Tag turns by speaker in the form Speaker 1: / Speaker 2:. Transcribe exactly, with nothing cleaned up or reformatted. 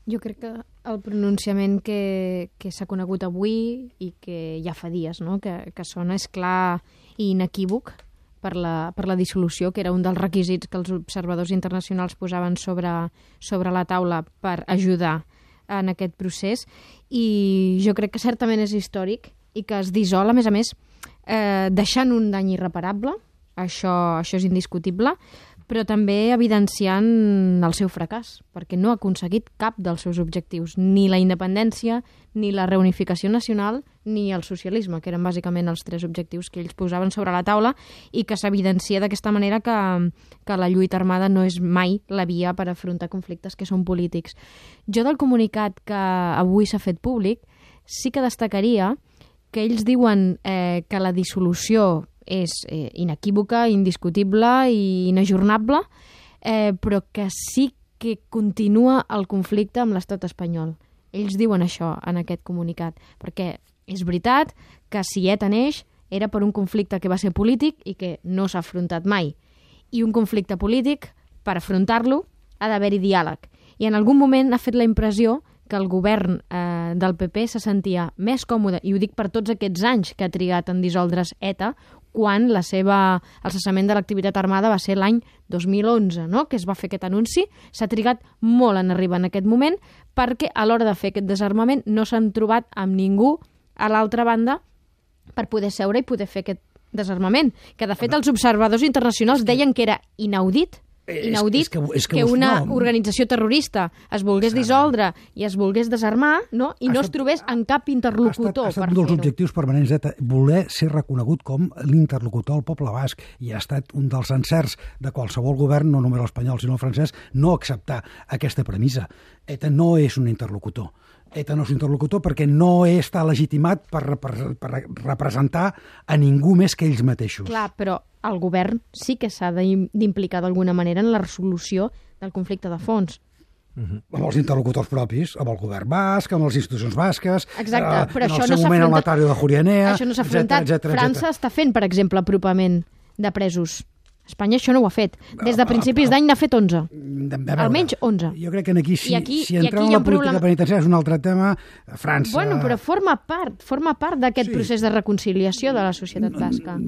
Speaker 1: Jo crec que el pronunciament que, que s'ha conegut avui i que ja fa dies, no? que, que sona és clar i inequívoc per la, per la dissolució, que era un dels requisits que els observadors internacionals posaven sobre, sobre la taula per ajudar en aquest procés. I jo crec que certament és històric i que es dissol, a més a més, eh, deixant un dany irreparable, això, això és indiscutible, però també evidenciant el seu fracàs, perquè no ha aconseguit cap dels seus objectius, ni la independència, ni la reunificació nacional, ni el socialisme, que eren bàsicament els tres objectius que ells posaven sobre la taula i que s'evidencia d'aquesta manera que, que la lluita armada no és mai la via per afrontar conflictes que són polítics. Jo del comunicat que avui s'ha fet públic sí que destacaria que ells diuen eh, que la dissolució és eh, inequívoca, indiscutible i inajornable, eh, però que sí que continua el conflicte amb l'estat espanyol. Ells diuen això en aquest comunicat, perquè és veritat que si ETA neix era per un conflicte que va ser polític i que no s'ha afrontat mai. I un conflicte polític, per afrontar-lo, ha d'haver-hi diàleg. I en algun moment ha fet la impressió que el govern eh, del P P se sentia més còmode, i ho dic per tots aquests anys que ha trigat en dissoldre's ETA, quan la seva, el cessament de l'activitat armada va ser l'any dos mil onze, no? Que es va fer aquest anunci. S'ha trigat molt en arribar en aquest moment perquè a l'hora de fer aquest desarmament no s'han trobat amb ningú a l'altra banda per poder seure i poder fer aquest desarmament. Que, de fet, els observadors internacionals deien que era inaudit inaudit
Speaker 2: és, és que, és que,
Speaker 1: que una
Speaker 2: no.
Speaker 1: organització terrorista es volgués dissoldre i es volgués desarmar, no? I no es trobés en cap interlocutor
Speaker 2: ha estat, ha estat
Speaker 1: per
Speaker 2: un dels
Speaker 1: fer-ho.
Speaker 2: objectius permanents de voler ser reconegut com l'interlocutor del poble basc, i ha estat un dels encerts de qualsevol govern, no només l'espanyol sinó el francès, no acceptar aquesta premissa. ETA no és un interlocutor. ETA no és un interlocutor perquè no està legitimat per, per, per representar a ningú més que ells mateixos.
Speaker 1: Clar, però el govern sí que s'ha d'implicar d'alguna manera en la resolució del conflicte de fons.
Speaker 2: Uh-huh. Amb els interlocutors propis, amb el govern basc, amb les institucions basques,
Speaker 1: exacte,
Speaker 2: eh,
Speaker 1: però
Speaker 2: en
Speaker 1: això
Speaker 2: el seu
Speaker 1: no
Speaker 2: moment el Notari de Jurianea,
Speaker 1: això no s'ha afrontat.
Speaker 2: etcètera,
Speaker 1: França
Speaker 2: etcètera.
Speaker 1: està fent, per exemple, apropament de presos. Espanya això no ho ha fet. Des de principis d'any n'ha fet onze. Almenys onze.
Speaker 2: Jo crec que aquí, si,
Speaker 1: aquí,
Speaker 2: si entrem en la política problema... penitenciària és un altre tema. França...
Speaker 1: Bueno, però forma part, forma part d'aquest sí. procés de reconciliació de la societat basca.